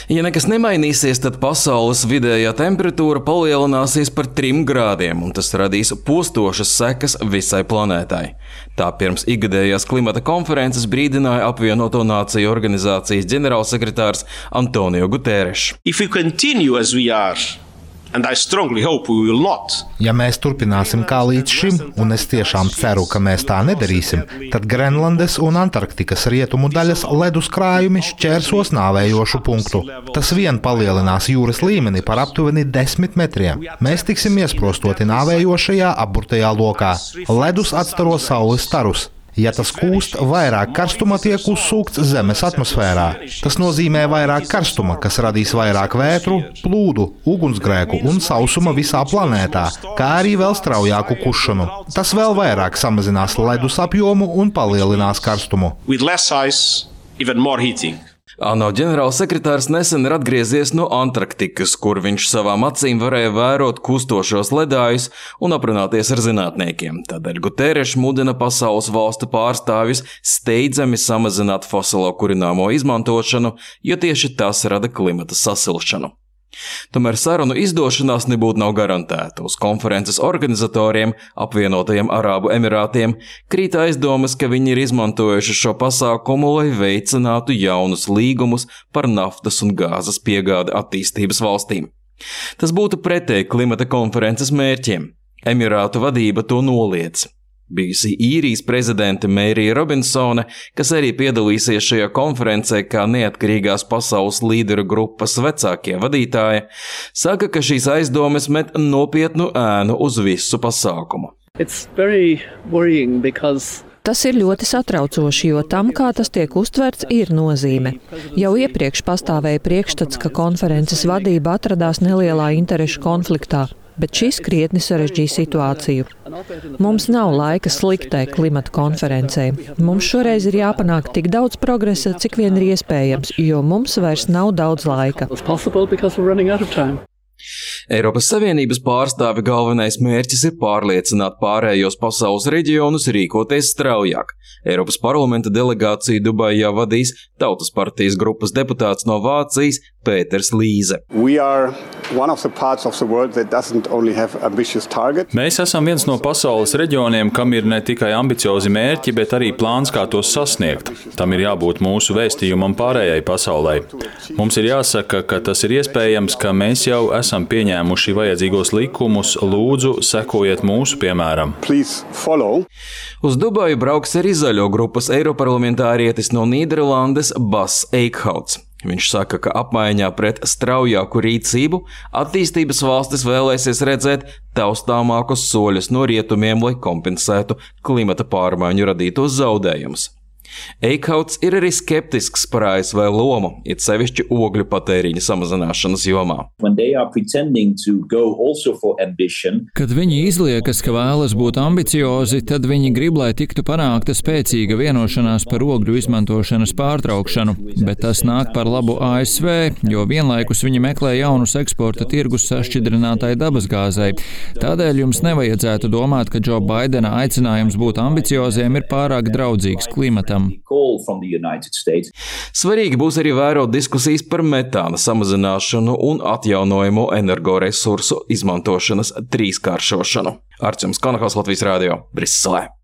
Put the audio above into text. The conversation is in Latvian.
Ja nekas nemainīsies, tad pasaules vidējā temperatūra palielināsies par 3 grādiem, un tas radīs postošas sekas visai planētai. Tā pirms ikgadējās klimata konferences brīdināja Apvienoto Nāciju organizācijas ģenerālsekretārs Antonio Guterres. If we continue as we are, and I strongly hope we will not. Ja mēs turpināsim kā līdz šim, un es tiešām ceru, ka mēs tā nedarīsim, tad Grenlandes un Antarktikas rietumu daļas ledus krājumi šķērsos nāvējošu punktu. Tas vien palielinās jūras līmeni par aptuveni 10 metriem. Mēs tiksim iesprostoti nāvējošajā apburtajā lokā. Ledus atstaro saules starus. Ja tas kūst, vairāk karstuma tiek uzsūkts Zemes atmosfērā. Tas nozīmē vairāk karstuma, kas radīs vairāk vētru, plūdu, ugunsgrēku un sausuma visā planētā, kā arī vēl straujāku kušanu. Tas vēl vairāk samazinās ledus apjomu un palielinās karstumu. With less ice, even more heating. ANO ģenerālsekretārs nesen ir atgriezies no Antarktikas, kur viņš savām acīm varēja vērot kustošos ledājus un aprunāties ar zinātniekiem. Tādēļ Guterres mudina pasaules valstu pārstāvjus steidzami samazināt fosilo kurināmo izmantošanu, jo tieši tas rada klimata sasilšanu. Tomēr sarunu izdošanās nebūtu nav garantēta. Uz konferences organizatoriem, Apvienotajiem Arābu Emirātiem, krīt aizdomas, ka viņi ir izmantojuši šo pasākumu, lai veicinātu jaunus līgumus par naftas un gāzes piegādi attīstības valstīm. Tas būtu pretēji klimata konferences mērķiem. Emirātu vadība to noliedz. Bijusī Īrijas prezidente Mērija Robinsone, kas arī piedalīsies šajā konferencē kā neatkarīgās pasaules līderu grupas vecākie vadītāji, saka, ka šīs aizdomas met nopietnu ēnu uz visu pasākumu. Tas ir ļoti satraucoši, jo tam, kā tas tiek uztverts, ir nozīme. Jau iepriekš pastāvēja priekšstats, ka konferences vadība atradās nelielā interešu konfliktā, bet šis krietni sarežģīja situāciju. Mums nav laika sliktai klimata konferencē. Mums šoreiz ir jāpanāk tik daudz progresa, cik vien ir iespējams, jo mums vairs nav daudz laika. Eiropas Savienības pārstāvi galvenais mērķis ir pārliecināt pārējos pasaules reģionus rīkoties straujāk. Eiropas parlamenta delegāciju Dubajā vadīs Tautas partijas grupas deputāts no Vācijas Pēters Līze. Mēs esam viens no pasaules reģioniem, kam ir ne tikai ambiciozi mērķi, bet arī plāns, kā tos sasniegt. Tam ir jābūt mūsu vēstījumam pārējai pasaulē. Mums ir jāsaka, ka tas ir iespējams, ka mēs jau esam pieņēmuši vajadzīgos likumus. Lūdzu, sekojiet mūsu piemēram. Uz Dubaju brauks arī zaļo grupas eiroparlamentārietis no Nīderlandes Bas Eikhauts. Viņš saka, ka apmaiņā pret straujāku rīcību attīstības valstis vēlēsies redzēt taustāmākus soļus no rietumiem, lai kompensētu klimata pārmaiņu radītos zaudējumus. Eikhauts ir arī skeptisks par ASV lomu, it sevišķi ogļu patēriņa samazināšanas jomā. Kad viņi izliekas, ka vēlas būt ambiciozi, tad viņi grib, lai tiktu panākta spēcīga vienošanās par ogļu izmantošanas pārtraukšanu, bet tas nāk par labu ASV, jo vienlaikus viņi meklē jaunus eksporta tirgus sašķidrinātai dabasgāzei. Tādēļ jums nevajadzētu domāt, ka Džo Baidena aicinājums būt ambicioziem ir pārāk draudzīgs klimatam. Svarīgi būs arī vērot diskusijas par metāna samazināšanu un atjaunojamo energoresursu izmantošanas trīskāršošanu. Arčuns Konahaus, Latvijas Rādio, Briselē.